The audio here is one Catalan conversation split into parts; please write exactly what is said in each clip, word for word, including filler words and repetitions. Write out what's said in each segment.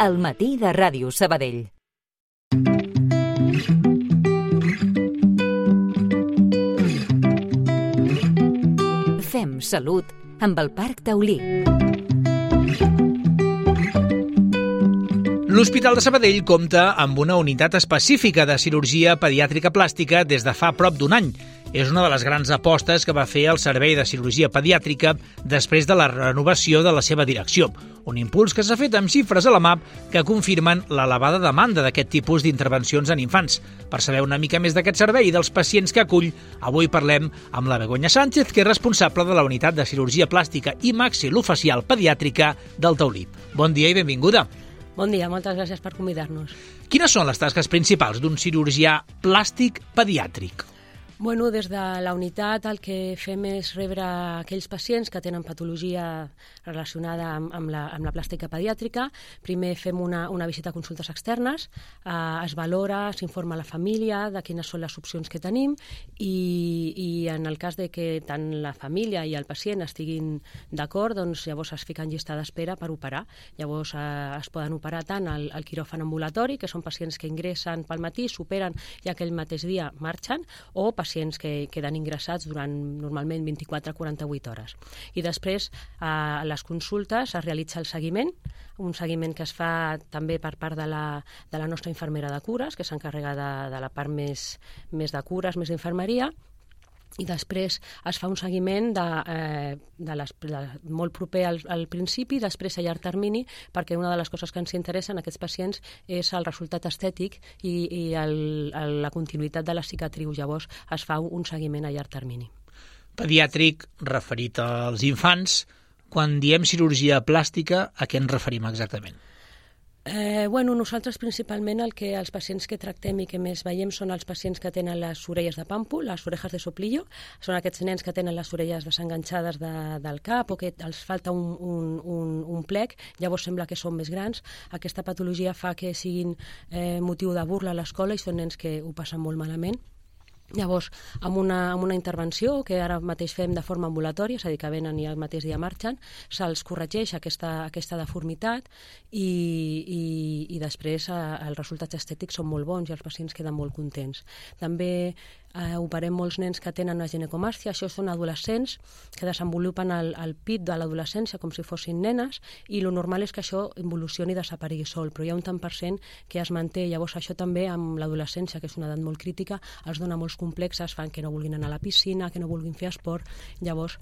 al matí de Ràdio Sabadell. Fem salut amb el Parc Taulí. L'Hospital de Sabadell compta amb una unitat específica de cirurgia pediàtrica plàstica des de fa prop d'un any. És una de les grans apostes que va fer el Servei de Cirurgia Pediàtrica després de la renovació de la seva direcció. Un impuls que s'ha fet amb xifres a la mà que confirmen l'elevada demanda d'aquest tipus d'intervencions en infants. Per saber una mica més d'aquest servei i dels pacients que acull, avui parlem amb la Begoña Sánchez, que és responsable de la unitat de cirurgia plàstica i maxilofacial pediàtrica del Taulí. Bon dia i benvinguda. Bon dia, moltes gràcies per convidar-nos. Quines són les tasques principals d'un cirurgià plàstic pediàtric? Bueno, des de la unitat el que fem és rebre aquells pacients que tenen patologia relacionada amb, amb, la, amb la plàstica pediàtrica. Primer fem una, una visita a consultes externes, eh, es valora, s'informa a la família de quines són les opcions que tenim i, i en el cas de que tant la família i el pacient estiguin d'acord, doncs llavors es fica en llista d'espera per operar. Llavors eh, es poden operar tant al, al quiròfan ambulatori, que són pacients que ingressen pel matí, s'operen i aquell mateix dia marxen, o pacients pacients que queden ingressats durant normalment vint-i-quatre a quaranta-vuit hores. I després, a les consultes, es realitza el seguiment, un seguiment que es fa també per part de la, de la nostra infermera de cures, que s'encarrega de, de la part més, més de cures, més d'infermeria, i després es fa un seguiment de, eh, de les, de, molt proper al, al principi i després a llarg termini, perquè una de les coses que ens interessen a aquests pacients és el resultat estètic i, i el, el, la continuïtat de la cicatriu. Llavors es fa un seguiment a llarg termini. Pediàtric referit als infants. Quan diem cirurgia plàstica, a què ens referim exactament? Eh, bueno, nosaltres principalment el que els pacients que tractem i que més veiem són els pacients que tenen les orelles de pàmpol, les orejas de soplillo, són aquests nens que tenen les orelles desenganxades de, del cap o que els falta un, un, un, un plec, llavors sembla que són més grans. Aquesta patologia fa que siguin eh, motiu de burla a l'escola i són nens que ho passen molt malament. Llavors, amb una, amb una intervenció que ara mateix fem de forma ambulatòria, és a dir, que venen i el mateix dia marxen, se'ls corregeix aquesta, aquesta deformitat i, i, i després eh, els resultats estètics són molt bons i els pacients queden molt contents. També eh, operem molts nens que tenen una ginecomàstia, això són adolescents que desenvolupen el, el pit de l'adolescència com si fossin nenes i lo normal és que això involucioni i desaparegui sol, però hi ha un tant per cent que es manté. Llavors això també amb l'adolescència, que és una edat molt crítica, els dona molts complexes, fan que no vulguin anar a la piscina, que no vulguin fer esport. Llavors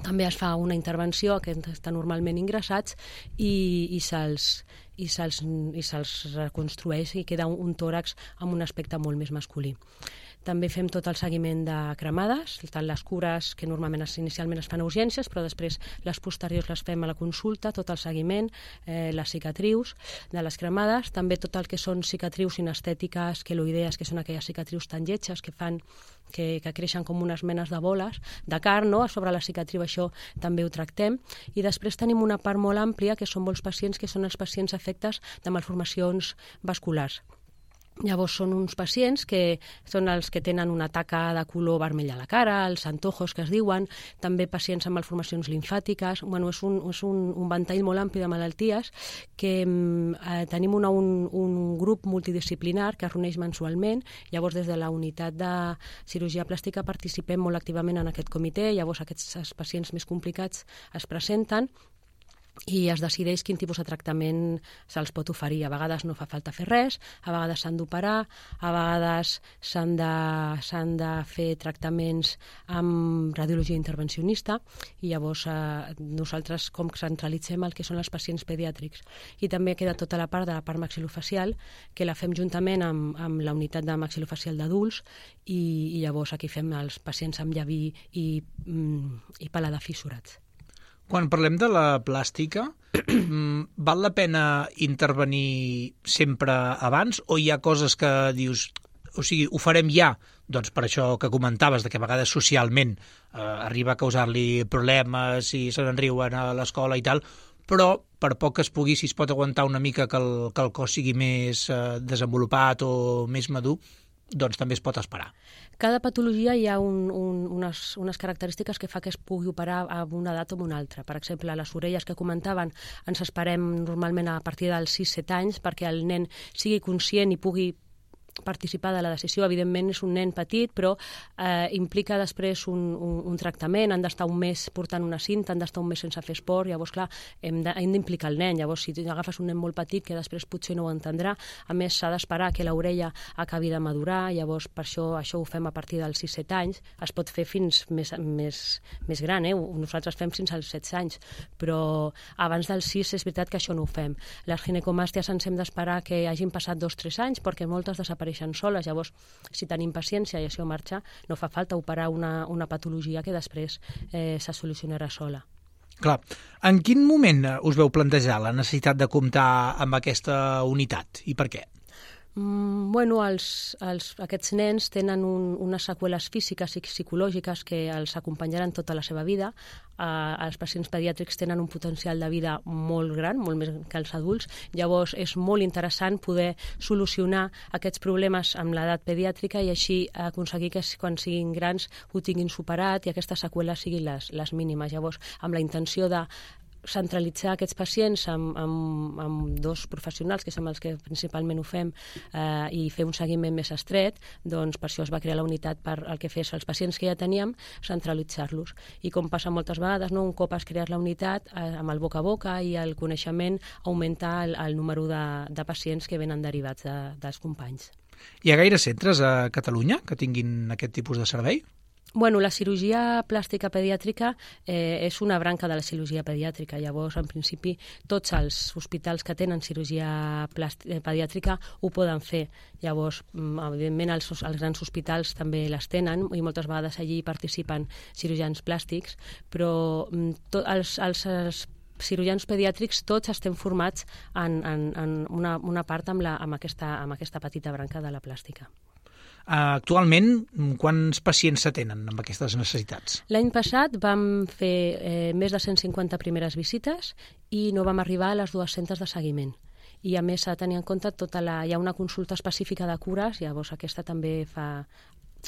també es fa una intervenció que estan normalment ingressats i, i se'ls i se'ls i se'ls reconstrueix i queda un, un tòrax amb un aspecte molt més masculí. També fem tot el seguiment de cremades, tant les cures que normalment es, inicialment es fan a urgències, però després les posteriors les fem a la consulta, tot el seguiment, eh, les cicatrius de les cremades, també tot el que són cicatrius sinestètiques, queloidees, que són aquelles cicatrius tan lletges que fan que, que creixen com unes menes de boles de carn, no? A sobre la cicatriu això també ho tractem. I després tenim una part molt àmplia, que són molts pacients, que són els pacients afectes de malformacions vasculars. Llavors són uns pacients que són els que tenen una taca de color vermell a la cara, els antojos que es diuen, també pacients amb malformacions limfàtiques. Bueno, és un, és un, un ventall molt ampli de malalties que eh, tenim una, un, un grup multidisciplinar que es reuneix mensualment. Llavors des de la unitat de cirurgia plàstica participem molt activament en aquest comitè. Llavors aquests pacients més complicats es presenten i es decideix quin tipus de tractament se'ls pot oferir. A vegades no fa falta fer res, a vegades s'han d'operar, a vegades s'han de, s'han de fer tractaments amb radiologia intervencionista i llavors eh, nosaltres com centralitzem el que són els pacients pediàtrics. I també queda tota la part de la part maxilofacial que la fem juntament amb, amb la unitat de maxilofacial d'adults i, i llavors aquí fem els pacients amb llaví i, mm, i paladar fissurats. Quan parlem de la plàstica, val la pena intervenir sempre abans o hi ha coses que dius, o sigui, ho farem ja, doncs per això que comentaves, de que a vegades socialment eh, arriba a causar-li problemes i se n'enriuen a l'escola i tal, però per poc que es pugui, si es pot aguantar una mica que el, que el cos sigui més eh, desenvolupat o més madur, doncs també es pot esperar. Cada patologia hi ha un, un, unes, unes característiques que fa que es pugui operar a una edat o a una altra. Per exemple, les orelles que comentaven ens esperem normalment a partir dels sis set anys perquè el nen sigui conscient i pugui participar de la decisió. Evidentment és un nen petit, però eh, implica després un, un, un tractament, han d'estar un mes portant una cinta, han d'estar un mes sense fer esport, llavors clar, hem d'implicar el nen, llavors si agafes un nen molt petit que després potser no ho entendrà, a més s'ha d'esperar que l'orella acabi de madurar, llavors per això això ho fem a partir dels sis set anys, es pot fer fins més, més, més gran, eh? Nosaltres fem fins als setze anys, però abans dels sis és veritat que això no ho fem. Les ginecomàsties ens hem d'esperar que hagin passat dos tres anys perquè moltes desapareixen soles, llavors si tenim paciència i això marxa, no fa falta operar una, una patologia que després eh, se solucionarà sola. Clar, en quin moment us veu plantejar la necessitat de comptar amb aquesta unitat i per què? Mm, bueno, els, els, aquests nens tenen un, unes seqüeles físiques i psicològiques que els acompanyaran tota la seva vida. Uh, els pacients pediàtrics tenen un potencial de vida molt gran, molt més que els adults. Llavors és molt interessant poder solucionar aquests problemes amb l'edat pediàtrica i així aconseguir que quan siguin grans ho tinguin superat i aquestes seqüeles siguin les, les mínimes. Llavors, amb la intenció de centralitzar aquests pacients amb, amb, amb dos professionals, que som els que principalment ho fem, eh, i fer un seguiment més estret, doncs per això es va crear la unitat per el que fes els pacients que ja teníem, centralitzar-los. I com passa moltes vegades, no? Un cop has creat la unitat, eh, amb el boca a boca i el coneixement, augmenta el, el número de, de pacients que venen derivats de, dels companys. Hi ha gaires centres a Catalunya que tinguin aquest tipus de servei? Bueno, la cirurgia plàstica pediàtrica eh, és una branca de la cirurgia pediàtrica. Llavors, en principi, tots els hospitals que tenen cirurgia plàstica, pediàtrica ho poden fer. Llavors, evidentment, els, els grans hospitals també les tenen i moltes vegades allí participen cirurgians plàstics, però to, els, els, els cirurgians pediàtrics tots estem formats en, en, en una, una part amb, la, amb, aquesta, amb aquesta petita branca de la plàstica. Actualment, quants pacients s'atenen amb aquestes necessitats? L'any passat vam fer eh, més de cent cinquanta primeres visites i no vam arribar a les dues-centes de seguiment. I a més s'ha de tenir en compte tota la... hi ha una consulta específica de cures, llavors aquesta també fa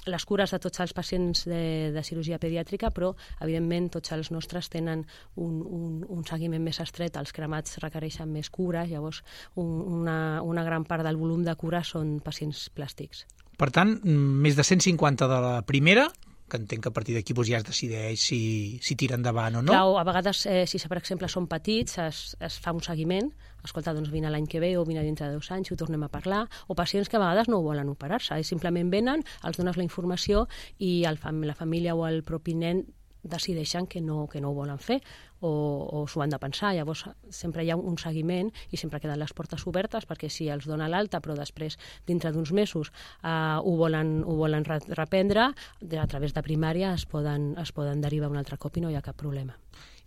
les cures de tots els pacients de, de cirurgia pediàtrica, però evidentment tots els nostres tenen un, un, un seguiment més estret, els cremats requereixen més cures, llavors un, una, una gran part del volum de cures són pacients plàstics. Per tant, més de cent cinquanta de la primera, que entenc que a partir d'aquí doncs, ja es decideix si, si tira endavant o no. Clar, a vegades, eh, si per exemple són petits, es, es fa un seguiment, escolta, doncs vine l'any que ve o vine dintre de dos anys i ho tornem a parlar, o pacients que a vegades no volen operar-se, simplement venen, els dones la informació i el, la família o el propi nen decideixen que no, que no ho volen fer o, o s'ho han de pensar. Llavors sempre hi ha un seguiment i sempre queden les portes obertes perquè si els dona l'alta però després dintre d'uns mesos eh, ho volen, ho volen reprendre, a través de primària es poden, es poden derivar un altre cop i no hi ha cap problema.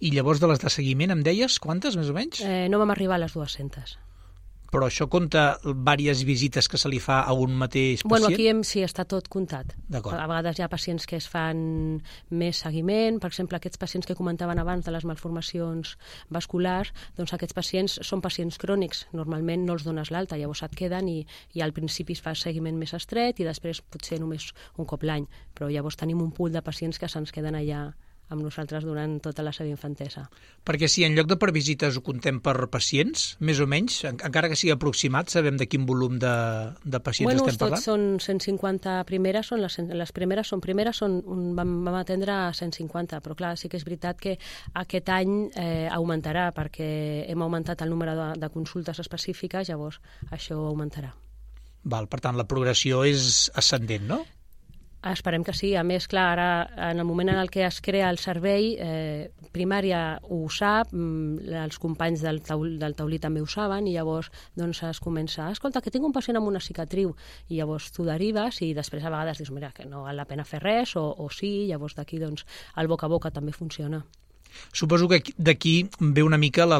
I llavors de les de seguiment em deies quantes més o menys? Eh, no vam arribar a les dues-centes. Però això compta diverses visites que se li fa a un mateix pacient? Bueno, aquí hem, sí, està tot comptat. D'acord. A vegades hi ha pacients que es fan més seguiment, per exemple, aquests pacients que comentaven abans de les malformacions vasculars, doncs aquests pacients són pacients crònics, normalment no els dones l'alta, llavors et queden i, i al principi es fa seguiment més estret i després potser només un cop l'any, però llavors tenim un pool de pacients que se'ns queden allà amb nosaltres durant tota la seva infantesa. Perquè si en lloc de per visites ho contem per pacients, més o menys, encara que sigui aproximat, sabem de quin volum de, de pacients bueno, estem parlant? Bueno, tots són cent cinquanta primeres, són les, les primeres són primeres, són, vam, vam atendre a cent cinquanta, però clar, sí que és veritat que aquest any eh, augmentarà, perquè hem augmentat el número de, de consultes específiques, llavors això augmentarà. Val, per tant, la progressió és ascendent, no? Esperem que sí. A més, clar, ara, en el moment en el que es crea el servei, eh, primària ho sap, els companys del, taul, del taulí també ho saben, i llavors doncs, es comença, escolta, que tinc un pacient amb una cicatriu, i llavors tu derives, i després a vegades dius, mira, que no val la pena fer res, o, o sí, llavors d'aquí doncs, el boca a boca també funciona. Suposo que d'aquí ve una mica la,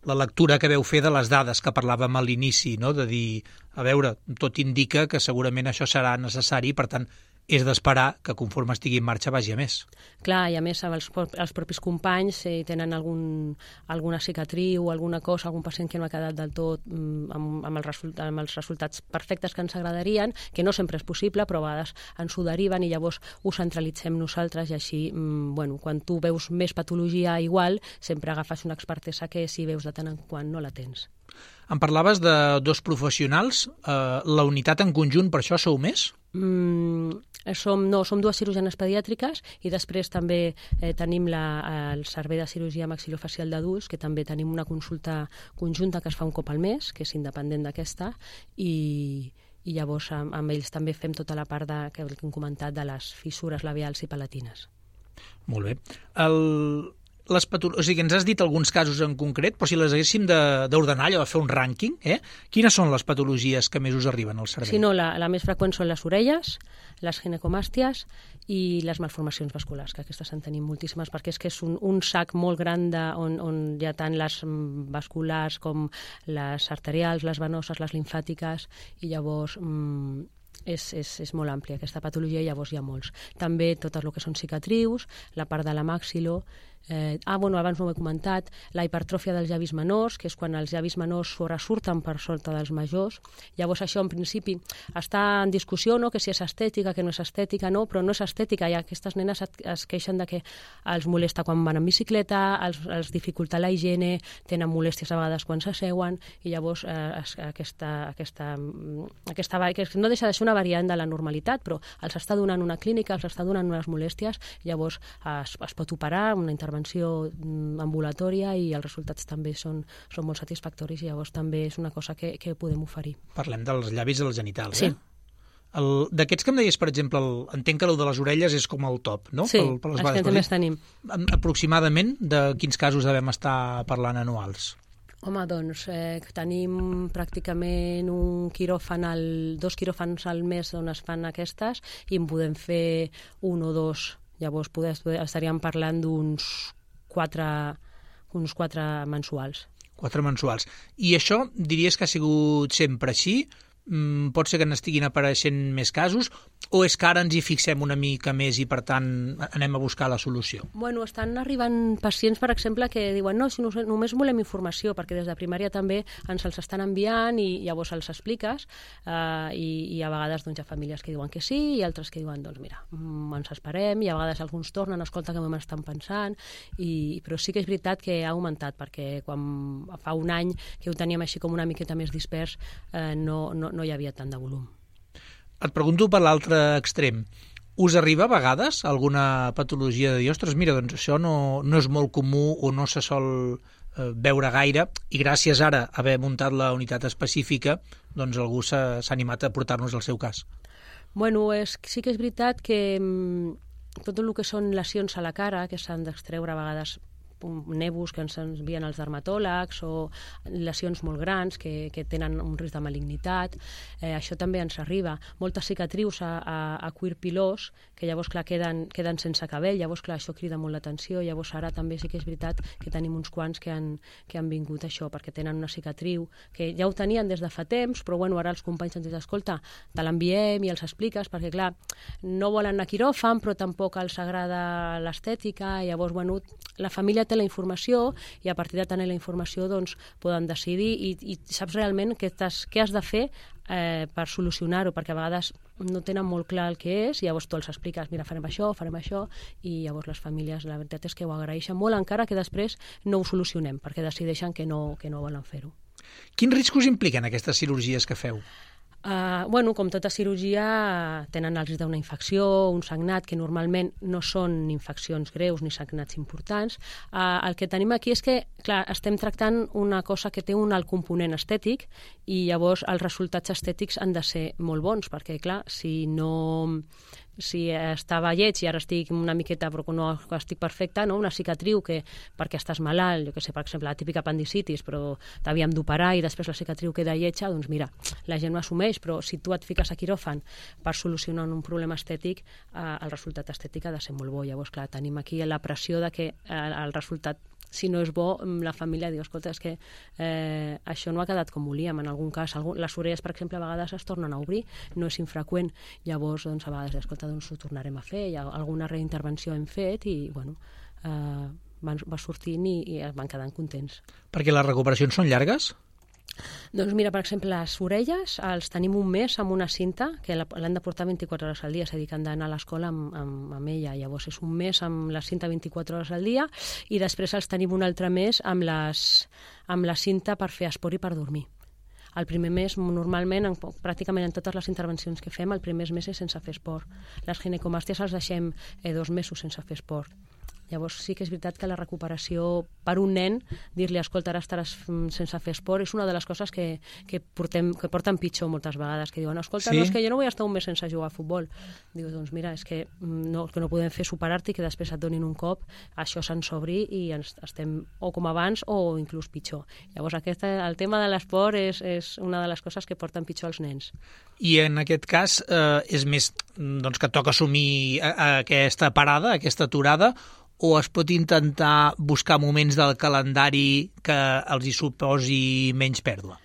la lectura que veu fer de les dades que parlàvem a l'inici, no? De dir, a veure, tot indica que segurament això serà necessari, per tant, és d'esperar que conforme estigui en marxa vagi a més. Clar, i a més els, els propis companys eh, tenen algun, alguna cicatriu o alguna cosa, algun pacient que no ha quedat del tot mm, amb, amb, els result, amb els resultats perfectes que ens agradarien, que no sempre és possible, però a vegades ens ho deriven i llavors ho centralitzem nosaltres i així, mm, bueno, quan tu veus més patologia igual, sempre agafes una expertesa que si veus de tant en quant no la tens. Em parlaves de dos professionals. Uh, la unitat en conjunt, per això sou més? Mm, som, no, som dues cirurgianes pediàtriques i després també eh, tenim la, el servei de cirurgia maxilofacial d'adults, que també tenim una consulta conjunta que es fa un cop al mes, que és independent d'aquesta, i, i llavors amb, amb ells també fem tota la part de, que hem comentat de les fissures labials i palatines. Molt bé. El... Les patolo... O sigui, ens has dit alguns casos en concret, però si les haguéssim d'ordenar, allò de fer un rànquing, eh? Quines són les patologies que més us arriben al cervell? Sí, no, la, la més freqüent són les orelles, les ginecomàsties i les malformacions vasculars, que aquestes en tenim moltíssimes, perquè és que és un, un sac molt gran de, on, on hi ha tant les vasculars com les arterials, les venoses, les limfàtiques, i llavors... Mm, És, és, és molt àmplia aquesta patologia i llavors hi ha molts. També tot el que són cicatrius, la part de la maxilo, eh, ah, bueno, abans no ho he comentat, la hipertròfia dels llavis menors, que és quan els llavis menors sobresurten per sota dels majors. Llavors això en principi està en discussió, no?, que si és estètica, que no és estètica, no, però no és estètica, i aquestes nenes es, es queixen de que els molesta quan van en bicicleta, els, els dificulta la higiene, tenen molèsties a vegades quan s'asseuen, i llavors eh, es, aquesta, aquesta, aquesta, que no deixa de ser una variant de la normalitat, però els està donant una clínica, els està donant unes molèsties, llavors es, es pot operar, una intervenció ambulatòria, i els resultats també són, són molt satisfactoris, i llavors també és una cosa que, que podem oferir. Parlem dels llavis i els genitals, sí. eh? D'aquests que em deies, per exemple, el, entenc que el de les orelles és com el top, no? Sí, pel, per les els que també tenim. Aproximadament de quins casos devem estar parlant anuals? Home, doncs eh, tenim pràcticament un quiròfan al, dos quiròfans al mes on es fan aquestes, i en podem fer un o dos. Llavors poder, estaríem parlant d'uns quatre, uns quatre mensuals. Quatre mensuals. I això diries que ha sigut sempre així? Mm, pot ser que n'estiguin apareixent més casos, o és que ara ens hi fixem una mica més i, per tant, anem a buscar la solució? Bueno, estan arribant pacients, per exemple, que diuen no, si no, només volem informació, perquè des de primària també ens els estan enviant i llavors els expliques, eh, i, i a vegades doncs, hi ha famílies que diuen que sí i altres que diuen, doncs mira, mm, ens esperem, i a vegades alguns tornen, escolta que m'estan pensant, i, però sí que és veritat que ha augmentat, perquè quan fa un any que ho teníem així com una miqueta més dispers, eh, no, no no hi havia tant de volum. Et pregunto per l'altre extrem. Us arriba a vegades alguna patologia de dir, ostres, mira, doncs això no, no és molt comú o no se sol eh, veure gaire, i gràcies ara a haver muntat la unitat específica, doncs algú s'ha animat a portar-nos el seu cas? Bueno, és, sí que és veritat que mm, tot el que són lesions a la cara, que s'han d'extreure a vegades nebus que ens envien els dermatòlegs, o lesions molt grans que, que tenen un risc de malignitat, eh, això també ens arriba. Moltes cicatrius a, a, a cuir pilós, que llavors clar queden, queden sense cabell, llavors clar això crida molt l'atenció, llavors ara també sí que és veritat que tenim uns quants que han, que han vingut això, perquè tenen una cicatriu, que ja ho tenien des de fa temps, però bueno, ara els companys ens diuen, escolta, te l'enviem i els expliques, perquè clar, no volen anar a quiròfan, però tampoc els agrada l'estètica, i llavors bueno, la família té la informació, i a partir de tenir la informació doncs, poden decidir, i, i saps realment què, què has de fer eh, per solucionar-ho, perquè a vegades no tenen molt clar el que és, i llavors tu els expliques, mira, farem això, farem això, i llavors les famílies, la veritat és que ho agraeixen molt, encara que després no ho solucionem, perquè decideixen que no, que no volen fer-ho. Quins riscos impliquen aquestes cirurgies que feu? Uh, bueno, com tota cirurgia, tenen el risc d'una infecció, un sagnat, que normalment no són infeccions greus ni sagnats importants. Uh, el que tenim aquí és que, clar, estem tractant una cosa que té un alt component estètic, i llavors els resultats estètics han de ser molt bons, perquè, clar, si no... si estava lleig i ara estic una miqueta però no estic perfecta, no? Una cicatriu que perquè estàs malalt, jo que sé, per exemple, la típica apendicitis, però t'havíem d'operar i després la cicatriu queda lletja, doncs mira, la gent ho assumeix, però si tu et fiques a quiròfan per solucionar un problema estètic, eh, el resultat estètic ha de ser molt bo. Llavors, clar, tenim aquí la pressió de que eh, el resultat si no és bo, la família diu, escolta, és que eh, això no ha quedat com volíem, en algun cas. Algun, les orelles, per exemple, a vegades es tornen a obrir, no és infreqüent. Llavors, doncs, a vegades, escolta, doncs ho tornarem a fer, ja alguna reintervenció hem fet i, bueno, eh, van, va sortint i, i van quedant contents. Perquè les recuperacions són llargues? Doncs mira, per exemple, les orelles els tenim un mes amb una cinta que l'han de portar vint-i-quatre hores al dia, és a dir, que han d'anar a l'escola amb, amb, amb ella. Llavors és un mes amb la cinta vint-i-quatre hores al dia i després els tenim un altre mes amb, les, amb la cinta per fer esport i per dormir. El primer mes, normalment, en, pràcticament en totes les intervencions que fem, el primer mes és sense fer esport. Les ginecomàsties els deixem eh, dos mesos sense fer esport. Llavors sí que és veritat que la recuperació per un nen, dir-li, escolta, ara estaràs sense fer esport, és una de les coses que, que, portem, que porten pitjor moltes vegades, que diuen, escolta, sí? no, és que jo no vull estar un mes sense jugar a futbol. Diu, doncs mira, és que no, que no podem fer superar-te i que després et donin un cop, això se'ns obri i ens, estem o com abans o inclús pitjor. Llavors aquest, el tema de l'esport és, és una de les coses que porten pitjor els nens. I en aquest cas eh, és més doncs, que toca assumir aquesta parada, aquesta aturada, o es pot intentar buscar moments del calendari que els hi suposi menys pèrdua?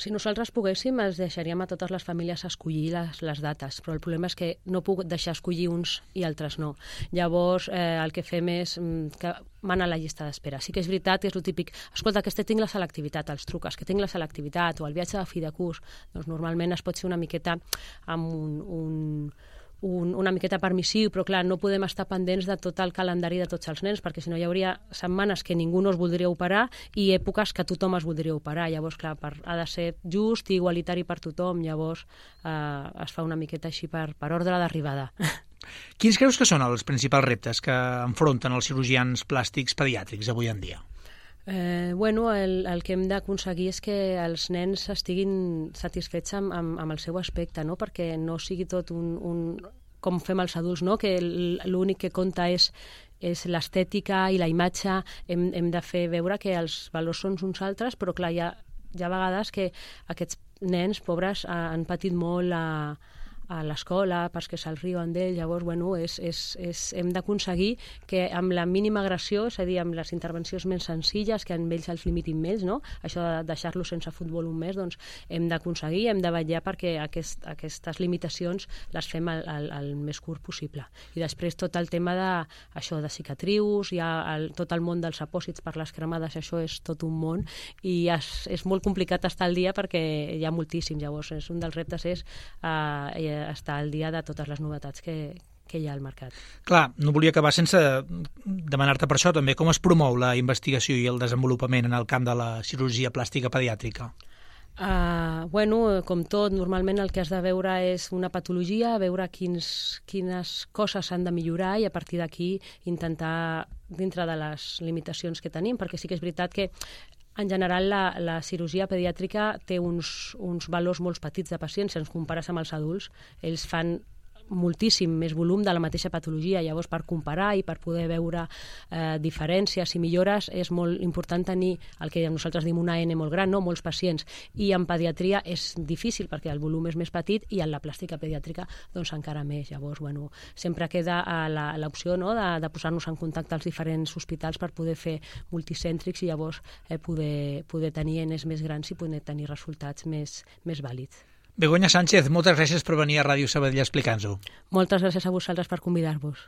Si nosaltres poguéssim, els deixaríem a totes les famílies escollir les, les dates, però el problema és que no puc deixar escollir uns i altres no. Llavors, eh, el que fem és que van a la llista d'espera. Sí que és veritat, és el típic, escolta, que este tinc la selectivitat, els truques, que tinc la selectivitat, o el viatge de fi de curs, doncs normalment es pot ser una miqueta amb un... un Un, una miqueta permissiu, però clar, no podem estar pendents de tot el calendari de tots els nens, perquè si no hi hauria setmanes que ningú no es voldria operar i èpoques que tothom es voldria operar. Llavors, clar, per, ha de ser just i igualitari per tothom, llavors eh, es fa una miqueta així per, per ordre d'arribada. Quins creus que són els principals reptes que enfronten els cirurgians plàstics pediàtrics avui en dia? Eh, bueno, el, el que hem d'aconseguir és que els nens estiguin satisfets amb, amb, amb el seu aspecte, no? Perquè no sigui tot un, un com fem els adults, no? Que l'únic que compta és, és l'estètica i la imatge. Hem, hem de fer veure que els valors són uns altres, però clar, hi ha, hi ha vegades que aquests nens pobres han patit molt a a l'escola, perquè se'ls riuen d'ell, llavors, bueno, és, és, és, hem d'aconseguir que amb la mínima agressió, és a dir, amb les intervencions més senzilles, que amb ells els limitin més, no? Això de deixar-los sense futbol un mes, doncs hem d'aconseguir, hem de vetllar perquè aquest, aquestes limitacions les fem el, el, el més curt possible. I després tot el tema de, això, de cicatrius, hi ha el, tot el món dels apòsits per les cremades, això és tot un món, i és, és molt complicat estar al dia perquè hi ha moltíssim, llavors és, un dels reptes és eh, estar al dia de totes les novetats que, que hi ha al mercat. Clar, no volia acabar sense demanar-te per això també, com es promou la investigació i el desenvolupament en el camp de la cirurgia plàstica pediàtrica? Uh, bueno, com tot, normalment el que has de veure és una patologia, veure quins, quines coses s'han de millorar i a partir d'aquí intentar, dintre de les limitacions que tenim, perquè sí que és veritat que en general, la, la cirurgia pediàtrica té uns, uns valors molt petits de pacients. Si ens compares amb els adults, ells fan moltíssim més volum de la mateixa patologia. Llavors, per comparar i per poder veure eh, diferències i millores, és molt important tenir el que nosaltres diem una N molt gran, no? Molts pacients. I en pediatria és difícil perquè el volum és més petit i en la plàstica pediàtrica doncs encara més. Llavors, bueno, sempre queda l'opció, no? de, de posar-nos en contacte als diferents hospitals per poder fer multicèntrics i llavors eh, poder, poder tenir enes més grans i poder tenir resultats més, més vàlids. Begoña Sánchez, moltes gràcies per venir a Ràdio Sabadell a explicar-nos-ho. Moltes gràcies a vosaltres per convidar-vos.